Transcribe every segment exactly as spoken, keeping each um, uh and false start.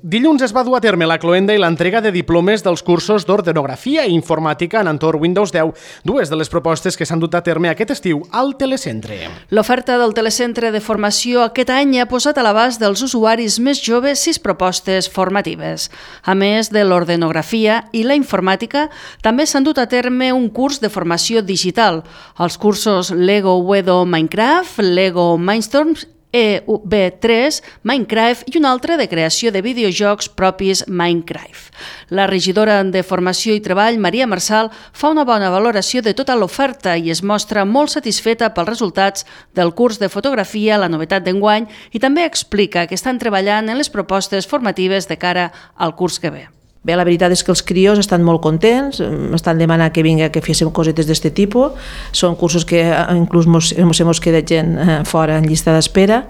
Dilluns es va dur a terme la cloenda i l'entrega de diplomes dels cursos d'ordenografia i informàtica en entorn Windows deu, dues de les propostes que s'han dut a terme aquest estiu al telecentre. L'oferta del telecentre de formació aquest any ha posat a l'abast dels usuaris més joves sis propostes formatives. A més de l'ordenografia i la informàtica, també s'han dut a terme un curs de formació digital, els cursos Lego Wedo Minecraft, Lego Mindstorms, E V tres, Minecraft i un altre de creació de videojocs propis Minecraft. La regidora de Formació i Treball, Maria Marçal, fa una bona valoració de tota l'oferta i es mostra molt satisfeta pels resultats del curs de fotografia, la novetat d'enguany, i també explica que estan treballant en les propostes formatives de cara al curs que ve. Bé, la veritat és que els crios estan molt contents, estan demanant que vinga que féssim cosetes d'aquest tipus. Són cursos que inclús mos, mos hem quedat gent fora en llista d'espera,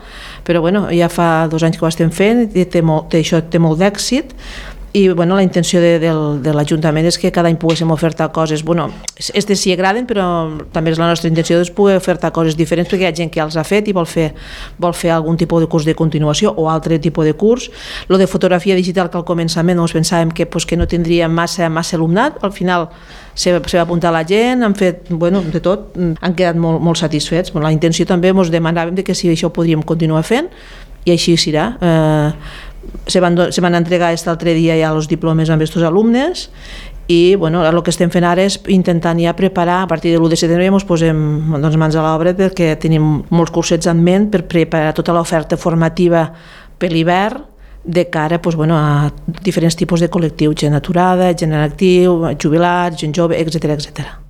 però bueno, ja fa dos anys que ho estem fent i té molt, té, això té molt d'èxit. I bueno, la intenció de, de, de l'Ajuntament és que cada any poguéssim ofertar coses, bueno, aquestes sí agraden, però també és la nostra intenció de poder ofertar coses diferents perquè hi ha gent que ja els ha fet i vol fer, vol fer algun tipus de curs de continuació o altre tipus de curs. Lo de fotografia digital, que al començament doncs, pensàvem que, pues, que no tindria massa, massa alumnat, al final se va, se va apuntar la gent, han fet, bueno, de tot, han quedat molt, molt satisfets. Bueno, la intenció també ens demanàvem de que si això ho podríem continuar fent i així serà. Eh, Se van, se van entregar aquest altre dia ja els diplomes amb aquests alumnes i bueno, el que estem fent ara és intentant ja preparar, a partir de l'u de setembre ja ens posem doncs, mans a l'obra perquè tenim molts cursets en ment per preparar tota l'oferta formativa per l'hivern de cara doncs, bueno, a diferents tipus de col·lectius, gent aturada, gent en actiu, jubilats, gent jove, etcètera etcètera.